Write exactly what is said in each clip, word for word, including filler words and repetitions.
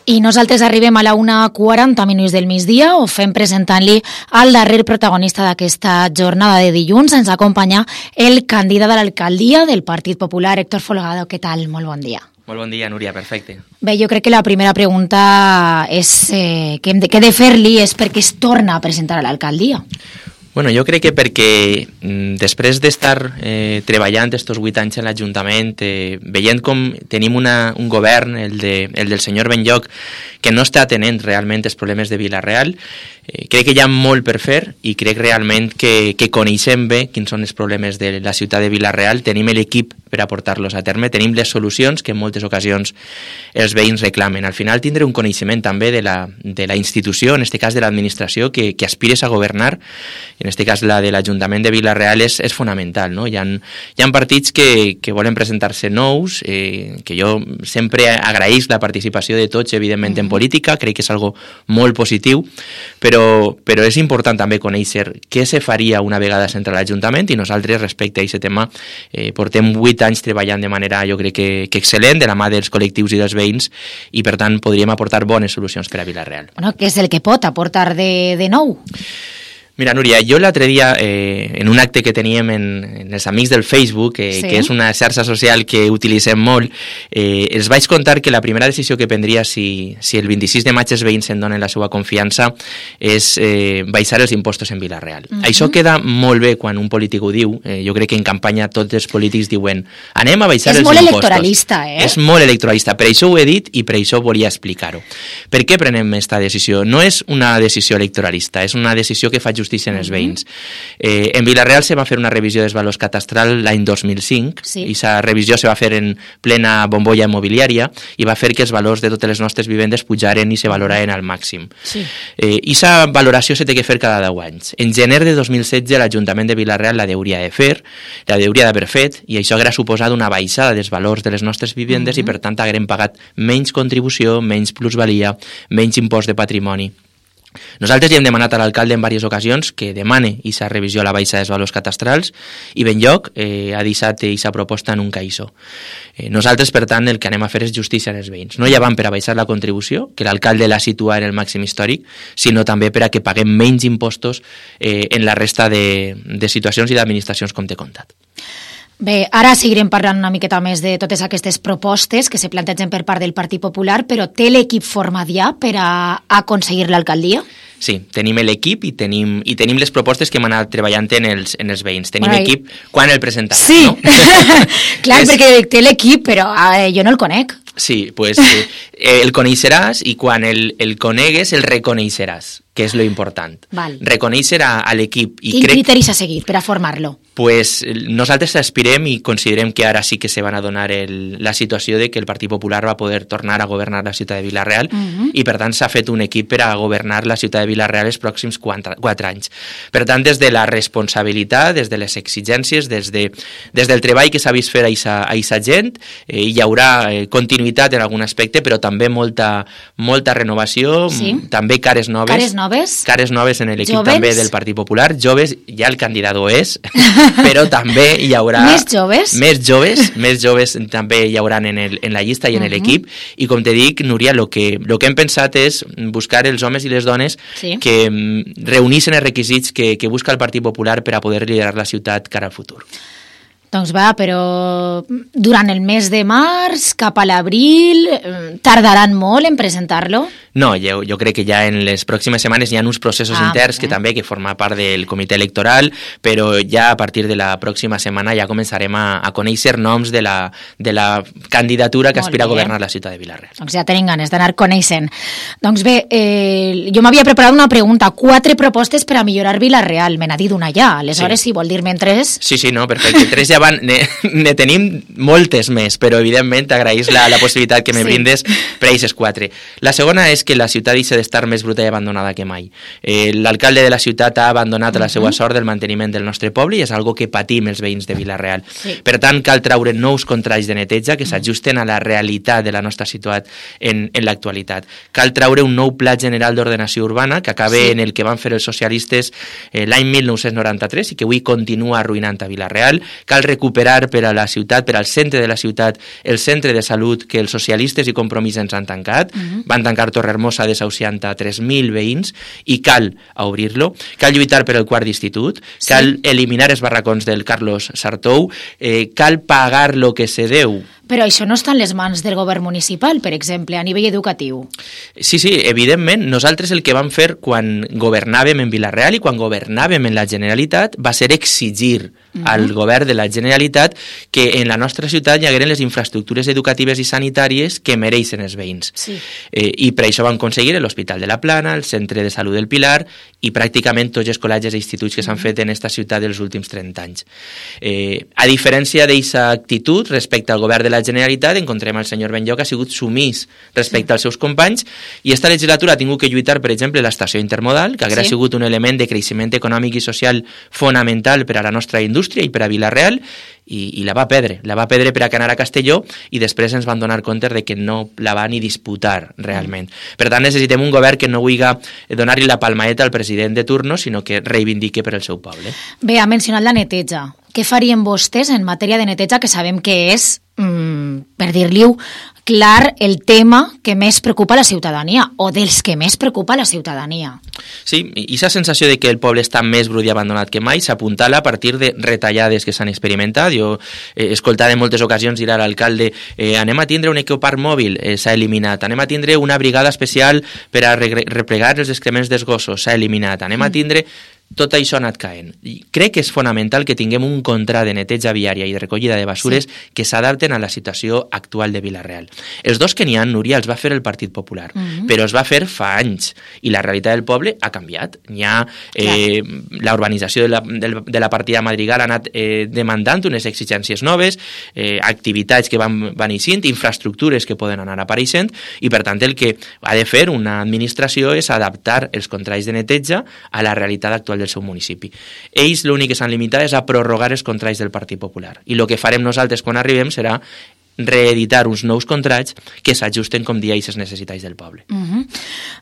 I nosaltres arribem a la una quaranta minuts del migdia, ho fem presentant-li al darrer protagonista d'aquesta jornada de dilluns. Ens acompanya el candidat a l'alcaldia del Partit Popular, Héctor Folgado. Què tal? Molt bon dia. Molt bon dia, Núria, perfecte. Bé, jo crec que la primera pregunta és, eh, que hem de, que he de fer-li és per què es torna a presentar a l'alcaldia. Bueno, jo crec que perquè mm, després d'estar eh, treballant estos vuit anys en l'Ajuntament, eh, veient com tenim una, un govern, el, de, el del senyor Benlloch, que no està atenent realment els problemes de Vila-real, eh, crec que hi ha molt per fer i crec realment que, que coneixem bé quins són els problemes de la ciutat de Vila-real, tenim l'equip per a portar-los a terme, tenim les solucions que en moltes ocasions els veïns reclamen. Al final tindré un coneixement també de la, de la institució, en aquest cas de l'administració, que, que aspires a governar. En aquest cas la de l'Ajuntament de Vila-real és, és fonamental, no? Hi ha, hi ha partits que, que volen presentar-se nous, eh, que jo sempre agraïs la participació de tots, evidentment, en política, crec que és algo molt positiu, però, però és important també conèixer què se faria una vegada s'entra a l'Ajuntament, i nosaltres, respecte a aquest tema, eh, portem vuit anys treballant de manera, jo crec que, que excel·lent, de la mà dels col·lectius i dels veïns, i per tant podríem aportar bones solucions per a Vila-real. Bueno, què és el que pot aportar de, de nou? Mira, Núria, jo l'altre dia, eh, en un acte que teníem en, en els amics del Facebook, eh, sí. que és una xarxa social que utilitzem molt, eh, els vaig contar que la primera decisió que prendria si, si el vint-i-sis de maig els veïns em donen la seva confiança és eh, baixar els impostos en Vila-real. Uh-huh. Això queda molt bé quan un polític ho diu. Eh, jo crec que en campanya tots els polítics diuen anem a baixar és els impostos. És molt electoralista, eh? És molt electoralista. Per això ho he dit i per això volia explicar-ho. Per què prenem aquesta decisió? No és una decisió electoralista, és una decisió que fa justícia en els veïns. Eh, en Vila-real se va fer una revisió dels valors catastral l'any dos mil cinc, sí. i aquesta revisió se va fer en plena bombolla immobiliària i va fer que els valors de totes les nostres vivendes pujaren i se valoraren al màxim. Sí. Eh, I aquesta valoració se té que fer cada deu anys. En gener de dos mil setze l'Ajuntament de Vila-real la hauria de fer, la hauria d'haver fet, i això hauria suposat una baixada dels valors de les nostres vivendes uh-huh. i per tant haguem pagat menys contribució, menys plusvalia, menys impost de patrimoni. Nosaltres li hem demanat a l'alcalde en diverses ocasions que demane aquesta revisió a la baixa dels valors catastrals i Benlloch eh, ha deixat aquesta proposta en un caïssó. Eh, nosaltres, per tant, el que anem a fer és justícia als veïns. No ja van per a baixar la contribució, que l'alcalde la situa en el màxim històric, sinó també per a que paguem menys impostos eh, en la resta de, de situacions i d'administracions com t'he contat. Bé, ara seguirem parlant una miqueta més de totes aquestes propostes que se plantegen per part del Partit Popular, però té l'equip format ja per a aconseguir l'alcaldia? Sí, tenim l'equip i tenim, i tenim les propostes que hem anat treballant en els, en els veïns. Tenim bueno, equip quan el presentarà, sí. no? Clar, és... perquè té l'equip, però eh, jo no el conec. Sí, pues eh, el coneixeràs i quan el, el conegues el reconeixeràs, que és lo important. Val. Reconèixer a, a l'equip. Quin crec... criteris a seguir per a formar-lo? Pues nosaltres aspirem i considerem que ara sí que se van a donar el, la situació de que el Partit Popular va poder tornar a governar la ciutat de Vila-real uh-huh. i per tant s'ha fet un equip per a governar la ciutat de Vila-real els pròxims quatre, quatre anys. Per tant, des de la responsabilitat, des de les exigències, des, de, des del treball que s'ha vist fer a aquesta gent, eh, hi haurà eh, continuïtat en algun aspecte, però també molta, molta renovació, sí. també cares noves. Cares noves? Cares noves en l'equip Jovens? també del Partit Popular. Joves, ja el candidat ho és, però també hi haurà... Més joves? Més joves, més joves també hi haurà en, el, en la llista i en uh-huh. l'equip, i com te dic, Núria, el que, lo que hem pensat és buscar els homes i les dones sí. que reunissin els requisits que, que busca el Partit Popular per a poder liderar la ciutat cara al futur. Doncs va, però durant el mes de març, cap a l'abril, tardaran molt en presentar-lo? No, jo, jo crec que ja en les pròximes setmanes hi ha uns processos ah, interns que eh? també que forma part del comitè electoral, però ja a partir de la pròxima setmana ja començarem a, a conèixer noms de la, de la candidatura que molt aspira bé. A governar la ciutat de Vila-real. Doncs ja tenim ganes d'anar coneixent. Doncs bé, eh, jo m'havia preparat una pregunta, quatre propostes per a millorar Vila-real, me n'ha dit una ja, aleshores sí. si vol dir-me'n tres... Sí, sí, no, perfecte, tres ja van, ne, ne tenim moltes més, però evidentment t'agraïs la, la possibilitat que me sí. brindes per a aquestes quatre. La segona és és que la ciutat deixa d'estar més bruta i abandonada que mai. Eh, l'alcalde de la ciutat ha abandonat la seva sort del manteniment del nostre poble i és algo que patim els veïns de Vila-real. Sí. Per tant, cal traure nous contrats de neteja que s'ajusten a la realitat de la nostra ciutat en, en l'actualitat. Cal traure un nou pla general d'ordenació urbana que acabe sí. en el que van fer els socialistes eh, l'any mil nou-cents noranta-tres i que avui continua arruïnant a Vila-real. Cal recuperar per a la ciutat, per al centre de la ciutat, el centre de salut que els socialistes i Compromís ens han tancat. Uh-huh. Van tancar Torrehermosa desahuciant a tres mil veïns i cal obrir-lo. Cal lluitar per el quart d'institut, sí. cal eliminar els barracons del Carlos Sartou, eh, cal pagar lo que se deu. Però això no està en les mans del govern municipal, per exemple, a nivell educatiu. Sí, sí, evidentment. Nosaltres el que vam fer quan governàvem en Vila-real i quan governàvem en la Generalitat va ser exigir uh-huh. al govern de la Generalitat que en la nostra ciutat hi hagueren les infraestructures educatives i sanitàries que mereixen els veïns. Sí. Eh, I per això vam aconseguir l'Hospital de la Plana, el Centre de Salut del Pilar i pràcticament tots els col·legis i instituts que s'han uh-huh. fet en esta ciutat els últims trenta anys. Eh, a diferència d'aquesta actitud respecte al govern de la Generalitat, encontrem el senyor Benlloc ha sigut sumís respecte sí. als seus companys i esta legislatura ha tingut que lluitar, per exemple, l'estació intermodal, que haguera sí. sigut un element de creixement econòmic i social fonamental per a la nostra indústria i per a Vila-real, i, i la va perdre, la va perdre per a anar a Castelló i després ens van donar compte de que no la va ni disputar realment. Mm. Per tant, necessitem un govern que no vulgui donar-li la palmaeta al president de turno, sinó que reivindique per al seu poble. Bé, ha mencionat la neteja. Què farien vostès en matèria de neteja, que sabem que és, mmm, per dir-li-ho clar, el tema que més preocupa la ciutadania, o dels que més preocupa la ciutadania? Sí, i aquesta sensació de que el poble està més brut i abandonat que mai s'apuntala a partir de retallades que s'han experimentat. Jo he eh, escoltat en moltes ocasions dir a l'alcalde eh, anem a tindre un ecoparc mòbil, eh, s'ha eliminat, anem a tindre una brigada especial per a re replegar els excrements dels gossos, s'ha eliminat, anem a tindre... Tot això ha anat caent. I crec que és fonamental que tinguem un contrat de neteja viària i de recollida de basures sí. que s'adapten a la situació actual de Vila-real. Els dos que n'hi ha, Núria, els va fer el Partit Popular, uh-huh. però els va fer fa anys i la realitat del poble ha canviat. N'hi ha eh, la urbanització de la, de la partida Madrigal ha anat eh, demandant unes exigències noves, eh, activitats que van, van eixint, infraestructures que poden anar apareixent i per tant el que ha de fer una administració és adaptar els contrats de neteja a la realitat actual del seu municipi. Ells l'únic que s'han limitat és a prorrogar els contrats del Partit Popular i el que farem nosaltres quan arribem serà reeditar uns nous contrats que s'ajusten, com dia, a les necessitats del poble. Uh-huh.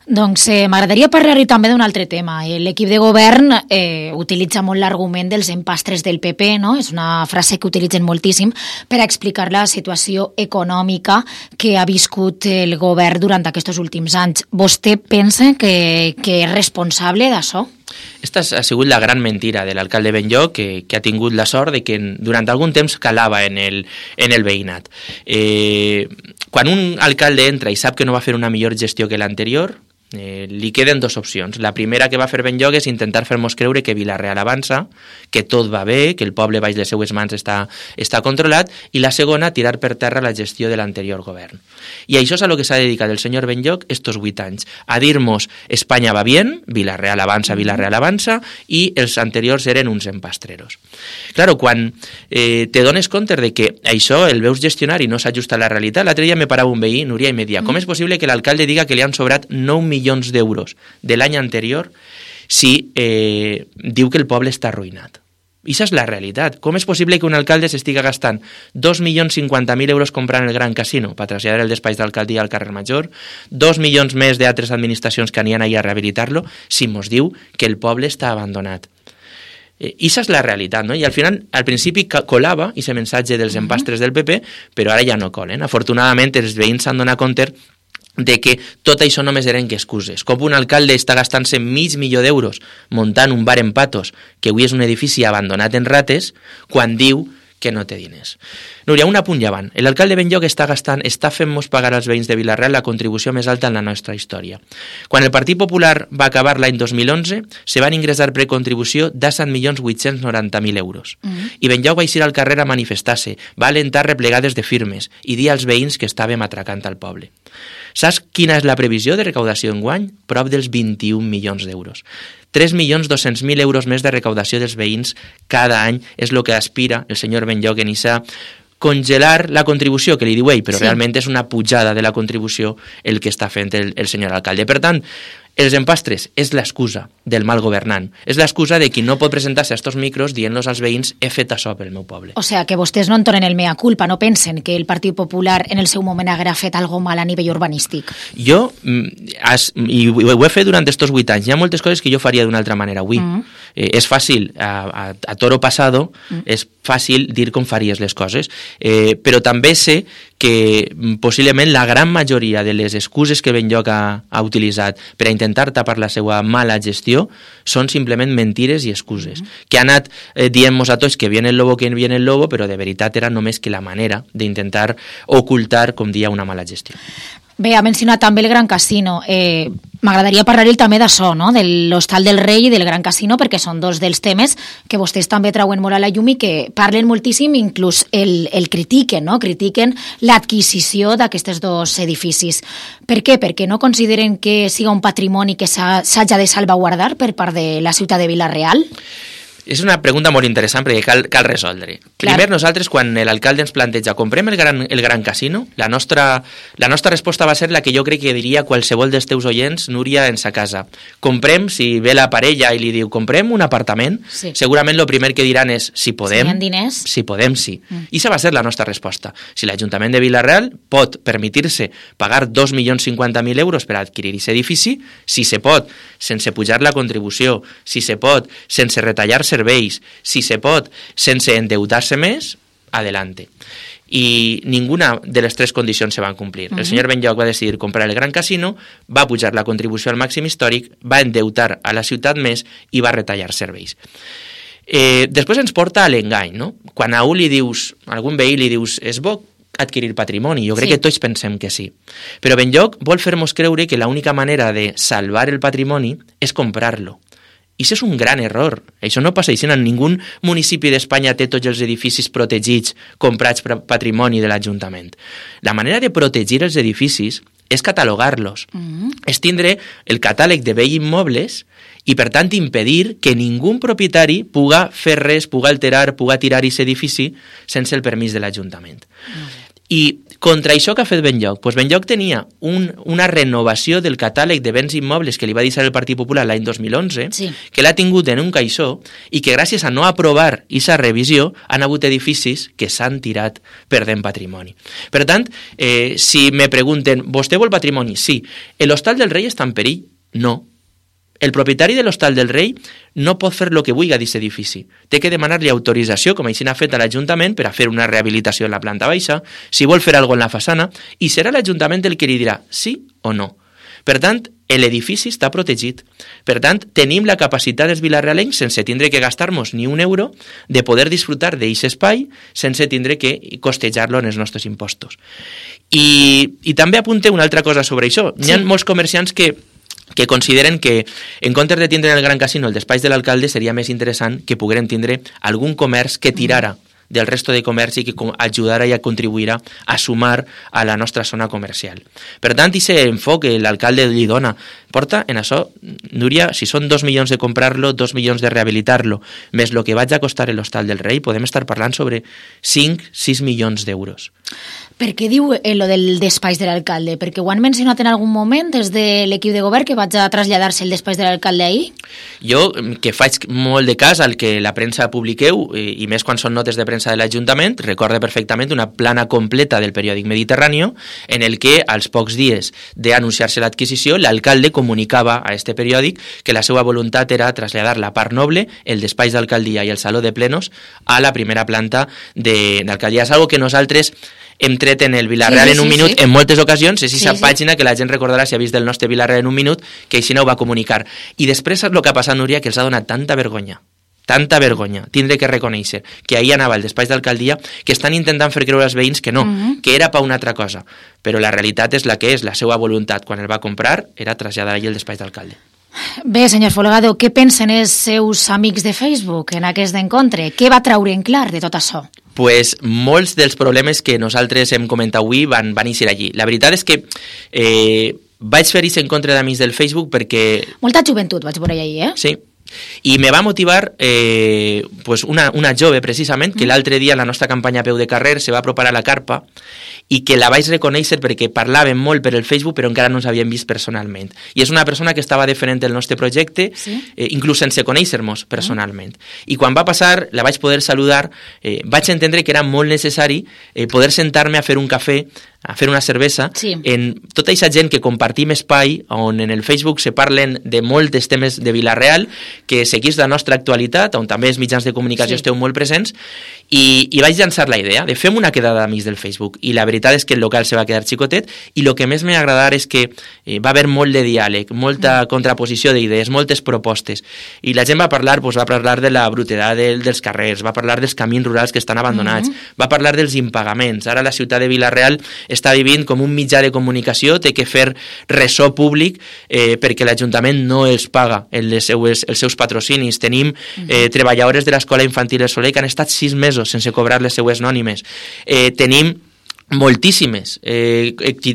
Doncs eh, m'agradaria parlar-hi també d'un altre tema. L'equip de govern eh, utilitza molt l'argument dels empastres del P P, no? És una frase que utilitzen moltíssim per a explicar la situació econòmica que ha viscut el govern durant aquests últims anys. Vostè pensa que, que és responsable d'això? Esta ha sigut la gran mentira de l'alcalde Benlloc, que, que ha tingut la sort de que durant algun temps calava en el, en el veïnat. Eh, quan un alcalde entra i sap que no va fer una millor gestió que l'anterior, Eh, li queden dues opcions. La primera que va fer Benlloc és intentar fer-nos creure que Vila-real avança, que tot va bé, que el poble baix les seues mans està, està controlat, i la segona, tirar per terra la gestió de l'anterior govern. I això és a lo que s'ha dedicat el senyor Benlloc estos vuit anys, a dir-nos Espanya va bien, Vila-real avança, Vila-real avança, i els anteriors eren uns empastreros. Claro, quan eh, te dones compte de que això el veus gestionar i no s'ajusta a la realitat, l'altre dia me parava un veí, Núria, i me dia, com és possible que l'alcalde diga que li han sobrat nou milions d'euros de l'any anterior si eh, diu que el poble està arruïnat? I això és la realitat. Com és possible que un alcalde s'estiga gastant dos milions cinquanta mil euros comprant el Gran Casino per traslladar el despatx d'alcaldia al carrer Major, dos milions més d'altres administracions que anien ahir a rehabilitar-lo, si mos diu que el poble està abandonat? I això és la realitat, no? I al final, al principi colava aquest missatge dels empastres del P P, però ara ja no colen. Afortunadament, els veïns s'han donat compte de que tot això només eren que excuses. Com un alcalde està gastant-se mig milió d'euros muntant un bar en Patos, que avui és un edifici abandonat en rates, quan diu que no té diners. Núria, un apunt llevant. L'alcalde Benlloc està gastant, està fent-nos pagar als veïns de Vila-real la contribució més alta en la nostra història. Quan el Partit Popular va acabar l'any dos mil onze, se van ingressar precontribució de set milions vuit-cents noranta mil euros. Mm-hmm. I Benlloc va eixir al carrer a manifestar-se, va alentar replegades de firmes i dir als veïns que estàvem atracant al poble. Saps quina és la previsió de recaudació enguany? Prop dels vint-i-un milions d'euros. tres milions dos-cents mil euros més de recaudació dels veïns cada any és el que aspira el senyor Benlloc en aquesta congelar la contribució, que li diu ell, però Sí. realment és una pujada de la contribució el que està fent el, el senyor alcalde. Per tant, els empastres és l'excusa del mal governant. És l'excusa de qui no pot presentar-se a estos micros dient-los als veïns he fet això pel meu poble. O sea, que vostès no entonen el mea culpa, no pensen que el Partit Popular en el seu moment haguera fet algo mal a nivell urbanístic. Jo, mm, has, i ho ho he fet durant estos vuit anys, hi ha moltes coses que jo faria d'una altra manera avui. Mm. Eh, és fàcil, a, a, a toro passado, mm. és fàcil dir com faries les coses, eh, però també sé que mm, possiblement la gran majoria de les excuses que Benlloc ha, ha utilitzat per a intentar tapar la seva mala gestió són simplement mentires i excuses, mm. que ha anat eh, dient-nos a tots que viene el lobo, que viene el lobo, però de veritat era només que la manera d'intentar ocultar, com dia, una mala gestió. Bé, ha mencionat també el Gran Casino. Eh, M'agradaria parlar-hi també d'això, no? De l'Hostal del Rei i del Gran Casino, perquè són dos dels temes que vostès també trauen molt a la llum i que parlen moltíssim, inclús el, el critiquen, no? Critiquen l'adquisició d'aquests dos edificis. Per què? Perquè no consideren que siga un patrimoni que s'hagi de salvaguardar per part de la ciutat de Vila-real? És una pregunta molt interessant perquè cal, cal resoldre. Clar. Primer, nosaltres, quan l'alcalde ens planteja comprem el gran, el gran casino, la nostra, la nostra resposta va ser la que jo crec que diria qualsevol dels teus oients, Núria, en sa casa. Comprem, si ve la parella i li diu comprem un apartament, sí. segurament el primer que diran és si podem, si hi ha diners. Si podem, sí. Mm. I això va ser la nostra resposta. Si l'Ajuntament de Vila-real pot permetir-se pagar dos milions cinquanta mil euros per adquirir aquest edifici, si se pot, sense pujar la contribució, si se pot, sense retallar serveis, si se pot, sense endeutar-se més, adelante. I ninguna de les tres condicions se van complir. Uh-huh. El senyor Benlloc va decidir comprar el Gran Casino, va pujar la contribució al màxim històric, va endeutar a la ciutat més i va retallar serveis. Eh, després ens porta a l'engany, no? Quan a un li dius, a algun veí li dius, és bo adquirir patrimoni, jo crec sí. que tots pensem que sí. Però Benlloc vol fer-nos creure que l'única manera de salvar el patrimoni és comprar-lo. I això és un gran error. Això no passa així. En ningú municipi d'Espanya té tots els edificis protegits comprats per patrimoni de l'Ajuntament. La manera de protegir els edificis és catalogar-los. Mm-hmm. És tindre el catàleg de béns immobles i, per tant, impedir que ningú propietari puga fer res, puga alterar, puga tirar aquest edifici sense el permís de l'Ajuntament. Mm-hmm. I contra això que ha fet Benlloc? Pues Benlloc tenia un, una renovació del catàleg de béns immobles que li va deixar el Partit Popular l'any dos mil onze, sí. que l'ha tingut en un caixó i que gràcies a no aprovar aquesta revisió han hagut edificis que s'han tirat perdent patrimoni. Per tant, eh, si me pregunten, vostè vol patrimoni? Sí. L'Hostal del Rei està en perill? No. El propietari de l'Hostal del Rei no pot fer el que vulgui d'aquest edifici. Té que demanar-li autorització, com així n'ha fet a l'Ajuntament, per a fer una rehabilitació en la planta baixa, si vol fer alguna cosa en la façana, i serà l'Ajuntament el que li dirà sí o no. Per tant, l'edifici està protegit. Per tant, tenim la capacitat dels vilarealencs, sense tindre que gastar-nos ni un euro, de poder disfrutar d'aquest espai sense tindre que costejar-lo en els nostres impostos. I, i també apunte una altra cosa sobre això. Sí. Hi ha molts comerciants que que consideren que, en comptes de tindre en el Gran Casino el despatx de l'alcalde, seria més interessant que pogueren tindre algun comerç que tirara del resto de comerç i que ajudara i contribuirà a sumar a la nostra zona comercial. Per tant, aquest enfoc que l'alcalde li dona porta en això, Núria, si són dos milions de comprar-lo, dos milions de rehabilitar-lo, més el que vaig a costar l'Hostal del Rei, podem estar parlant sobre cinc a sis milions d'euros. Per què diu eh, lo del despatx de l'alcalde? Perquè ho han mencionat en algun moment des de l'equip de govern que vaig a traslladar-se el despatx de l'alcalde ahir? Jo, que faig molt de cas al que la premsa publiqueu, i, i més quan són notes de premsa de l'Ajuntament, recorde perfectament una plana completa del periòdic Mediterráneo en el que, als pocs dies d'anunciar-se l'adquisició, l'alcalde comunicava a este periòdic que la seva voluntat era traslladar la part noble, el despatx d'alcaldia i el saló de plenos, a la primera planta de l'alcaldia. És algo que nosaltres hem tret en el Vila-real sí, sí, en un sí, minut sí. en moltes ocasions, és aquesta sí, sí. pàgina que la gent recordarà si ha vist el nostre Vila-real en un minut, que així no ho va comunicar. I després és el que ha passat, Núria, que els ha donat tanta vergonya, tanta vergonya, tindre que reconèixer que ahir anava al despatx d'alcaldia, que estan intentant fer creure als veïns que no, uh-huh. que era per una altra cosa. Però la realitat és la que és, la seva voluntat, quan el va comprar, era traslladar ahir el despatx d'alcalde. Bé, senyor Folgado, què pensen els seus amics de Facebook en aquest encontre? Què va traure en clar de tot això? Pues molts dels problemes que nosaltres hem comentat avui van, van eixir allí. La veritat és que eh, vaig fer aquest encontre d'amics del Facebook perquè... Molta joventut vaig veure ahir, eh? Sí. I me va motivar eh, pues una, una jove, precisament, que l'altre dia en la nostra campanya a peu de carrer se va apropar a la carpa i que la vaig reconèixer perquè parlàvem molt per el Facebook però encara no ens havíem vist personalment. I és una persona que estava defendent el nostre projecte, sí? eh, inclús sense conèixer-nos personalment. I quan va passar, la vaig poder saludar, eh, vaig entendre que era molt necessari eh, poder sentar-me a fer un cafè, a fer una cervesa, sí. en tota aquesta gent que compartim espai, on en el Facebook se parlen de molts temes de Vila-real, que seguís la nostra actualitat, on també els mitjans de comunicació sí. esteu molt presents, i, i vaig llançar la idea de fem una quedada d'amics del Facebook, i la veritat és que el local se va quedar xicotet, i el que més m'ha agradat és que eh, va haver molt de diàleg, molta mm. contraposició d'idees, moltes propostes, i la gent va parlar, doncs, va parlar de la brutedat de, dels carrers, va parlar dels camins rurals que estan abandonats, mm. va parlar dels impagaments. Ara la ciutat de Vila-real està vivint com un mitjà de comunicació, té que fer ressò públic eh, perquè l'Ajuntament no els paga les seues, els seus patrocinis. Tenim eh, treballadores de l'Escola Infantil El Soler que han estat sis mesos sense cobrar les seues nònimes. Eh, tenim moltíssimes eh,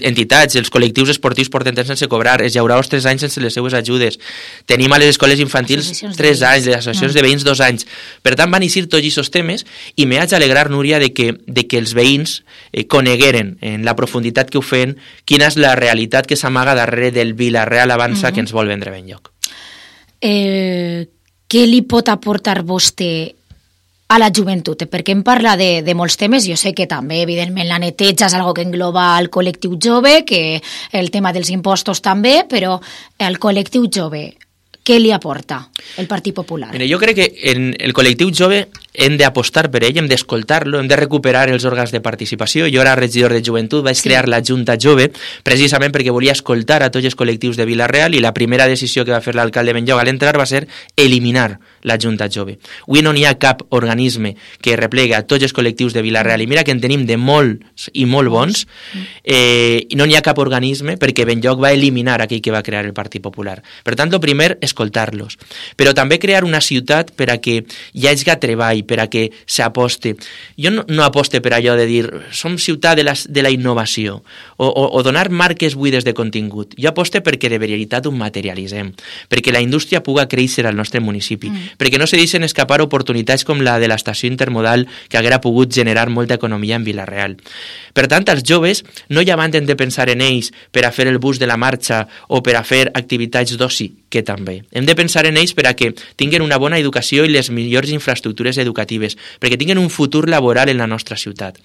entitats, els col·lectius esportius porten temps sense cobrar, els llauradors tres anys sense les seues ajudes, tenim a les escoles infantils tres anys, les associacions no. de veïns dos anys. Per tant, van eixir tots aquests temes i m'haig d'alegrar, Núria, de que, de que els veïns eh, conegueren en la profunditat que ho feien quina és la realitat que s'amaga darrere del Vila-real Avança uh -huh. que ens vol vendre ben lloc. Eh, què li pot aportar vostè a la joventut? Perquè em parla de, de molts temes, jo sé que també, evidentment, la neteja és algo que engloba el col·lectiu jove, que el tema dels impostos també, però el col·lectiu jove, què li aporta el Partit Popular? Mira, jo crec que en el col·lectiu jove hem d'apostar per ell, hem d'escoltar-lo, hem de recuperar els òrgans de participació. Jo era regidor de joventut, vaig sí. crear la Junta Jove, precisament perquè volia escoltar a tots els col·lectius de Vila-real, i la primera decisió que va fer l'alcalde Benlloc a l'entrar va ser eliminar la Junta Jove. Avui no n'hi ha cap organisme que replega a tots els col·lectius de Vila-real, i mira que en tenim de molts i molt bons, eh, i no n'hi ha cap organisme perquè Benlloc va eliminar aquell que va crear el Partit Popular. Per tant, el primer, escoltar-los. Però també crear una ciutat per a que hi hagi treball, per a que s'aposte. Jo no, no aposte per allò de dir som ciutat de la, de la innovació o, o, o donar marques buides de contingut. Jo aposte perquè de veritat ho materialitzem, perquè la indústria puga créixer al nostre municipi, mm. perquè no se deixen escapar oportunitats com la de l'estació intermodal que haguera pogut generar molta economia en Vila-real. Per tant, els joves no ja van de pensar en ells per a fer el bus de la marxa o per a fer activitats d'oci, que també. Hem de pensar en ells per a que tinguin una bona educació i les millors infraestructures educatives, perquè tinguin un futur laboral en la nostra ciutat.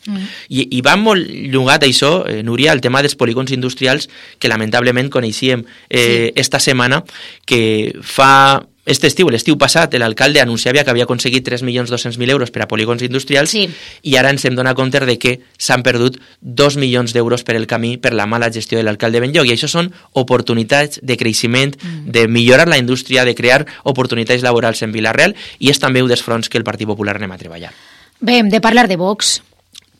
Mm. I, I va molt llogat això, eh, Núria, el tema dels polígons industrials, que lamentablement coneixíem eh, sí. esta setmana, que fa... Este estiu, l'estiu passat, l'alcalde anunciava que havia aconseguit tres milions dos-cents mil euros per a polígons industrials sí. i ara ens hem donat compte de que s'han perdut dos milions d'euros per el camí per la mala gestió de l'alcalde Benlloc. I això són oportunitats de creixement, mm. de millorar la indústria, de crear oportunitats laborals en Vila-real, i és també un dels fronts que el Partit Popular anem a treballar. Bé, hem de parlar de Vox,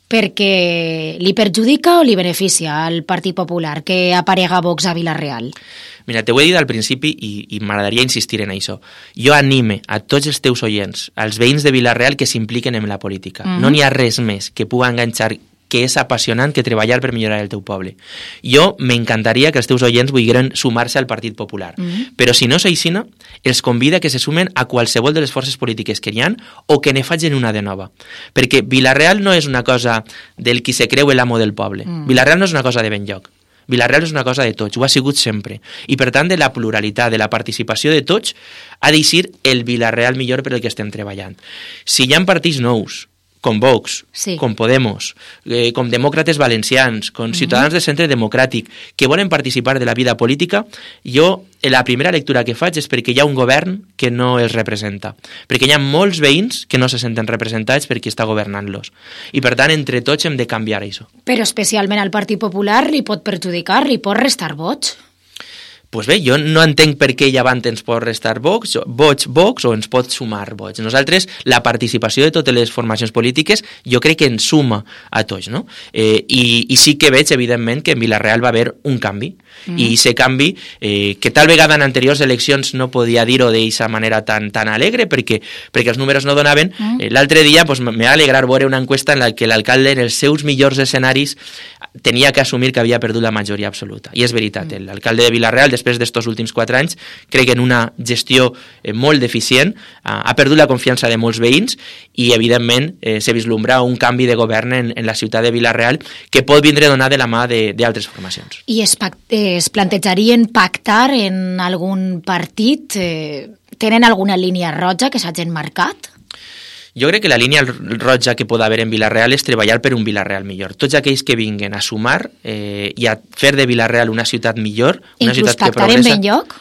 perquè li perjudica o li beneficia al Partit Popular que aparega Vox a Vila-real? Mira, t'ho he dit al principi i, i m'agradaria insistir en això. Jo anime a tots els teus oients, als veïns de Vila-real, que s'impliquen en la política. Mm-hmm. No n'hi ha res més que puga enganxar, que és apassionant, que treballar per millorar el teu poble. Jo m'encantaria que els teus oients vulgueren sumar-se al Partit Popular, mm-hmm. però si no s'aixina, els convida que se sumen a qualsevol de les forces polítiques que hi ha o que ne facin una de nova. Perquè Vila-real no és una cosa del qui se creu l'amo del poble. Mm. Vila-real no és una cosa de Benlloc. Vila-real és una cosa de tots, ho ha sigut sempre. I per tant, de la pluralitat, de la participació de tots, ha d'eixir el Vila-real millor per el que estem treballant. Si hi ha partits nous, com Vox, sí. com Podemos, eh, com demòcrates valencians, com uh-huh. ciutadans de centre democràtic, que volen participar de la vida política, jo la primera lectura que faig és perquè hi ha un govern que no els representa, perquè hi ha molts veïns que no se senten representats per qui està governant-los. I per tant, entre tots hem de canviar això. Però especialment al Partit Popular li pot perjudicar, li pot restar vots? Pues bé, jo no entenc per què llavant ens pot restar Vox, Vox, Vox o ens pot sumar Vox. Nosaltres, la participació de totes les formacions polítiques, jo crec que ens suma a tots, no? Eh, i, I sí que veig, evidentment, que en Vila-real va haver un canvi. Mm. I aquest canvi, eh, que tal vegada en anteriors eleccions no podia dir-ho d'aquesta manera tan, tan alegre, perquè, perquè els números no donaven. Mm. Eh, l'altre dia pues, m'ha alegrat veure una enquesta en la que l'alcalde, en els seus millors escenaris, tenia que assumir que havia perdut la majoria absoluta. I és veritat, mm. l'alcalde de Vila-real, després d'estos últims quatre anys, crec que en una gestió eh, molt deficient, ha, ha perdut la confiança de molts veïns i, evidentment, eh, se vislumbra un canvi de govern en, en la ciutat de Vila-real que pot vindre donat de la mà d'altres formacions. I es, es plantejarien pactar en algun partit? Eh, tenen alguna línia roja que s'hagin marcat? Jo crec que la línia roja que pot haver en Vila-real és treballar per un Vila-real millor. Tots aquells que vinguen a sumar eh, i a fer de Vila-real una ciutat millor, una Inclús ciutat que pactar progressa... en Benlloc?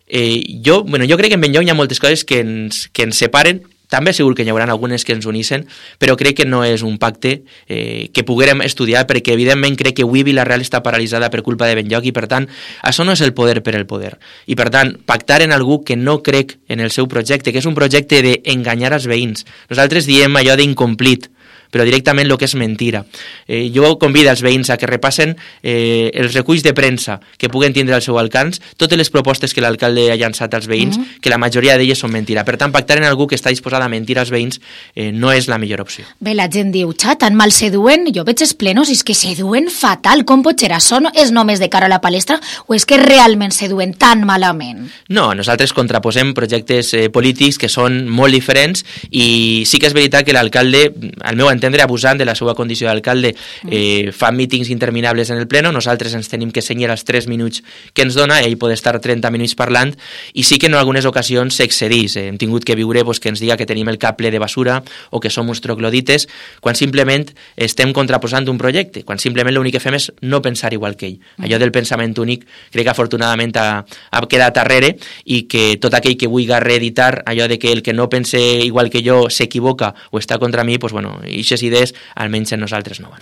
Eh, jo, bueno, jo crec que en Benlloc hi ha moltes coses que ens, que ens separen. També segur que hi haurà algunes que ens unissen, però crec que no és un pacte eh, que poguérem estudiar, perquè evidentment crec que avui Vila-real està paralitzada per culpa de Benlloc i, per tant, això no és el poder per el poder. I, per tant, pactar en algú que no crec en el seu projecte, que és un projecte d'enganyar els veïns. Nosaltres diem allò d'incomplit, però directament el que és mentira. Eh, jo convido els veïns a que repassen eh, els reculls de premsa que puguen tindre al seu alcance, totes les propostes que l'alcalde ha llançat als veïns, mm -hmm. que la majoria d'elles són mentira. Per tant, pactar en algú que està disposat a mentir als veïns eh, no és la millor opció. Bé, la gent diu, xa, tan mal se duen, jo veig els plenos, és que se duen fatal, com pot ser això? No és només de cara a la palestra o és que realment se duen tan malament? No, nosaltres contraposem projectes eh, polítics que són molt diferents i sí que és veritat que l'alcalde, al meu entendre, abusant de la seva condició d'alcalde, eh, fa mítings interminables en el pleno, nosaltres ens tenim que cenyir els tres minuts que ens dona, ell pot estar trenta minuts parlant, i sí que en algunes ocasions s'excedís. Eh, hem tingut que viure pues, que ens diga que tenim el cap ple de basura o que som uns troglodites, quan simplement estem contraposant un projecte, quan simplement l'únic que fem és no pensar igual que ell. Allò del pensament únic crec que afortunadament ha, ha quedat darrere i que tot aquell que vulgui reeditar allò de que el que no pense igual que jo s'equivoca o està contra mi, pues, bueno, ixes idees almenys en nosaltres no van.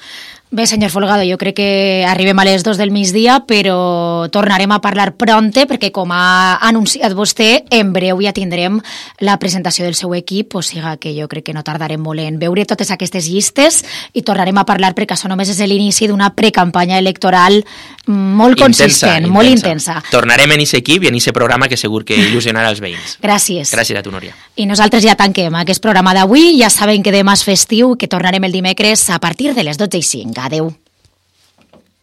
Bé, senyor Folgado, jo crec que arribem a les dos del migdia, però tornarem a parlar pronte, perquè com ha anunciat vostè, en breu ja tindrem la presentació del seu equip, o sigui que jo crec que no tardarem molt en veure totes aquestes llistes i tornarem a parlar, perquè això només és l'inici d'una precampanya electoral molt consistent, intensa, molt intensa. intensa. Tornarem en aquest equip i en aquest programa que segur que il·lusionarà els veïns. Gràcies. Gràcies a tu, Núria. I nosaltres ja tanquem aquest programa d'avui. Ja saben que demà és festiu, que tornarem el dimecres a partir de les dotze i cinc. Adeu.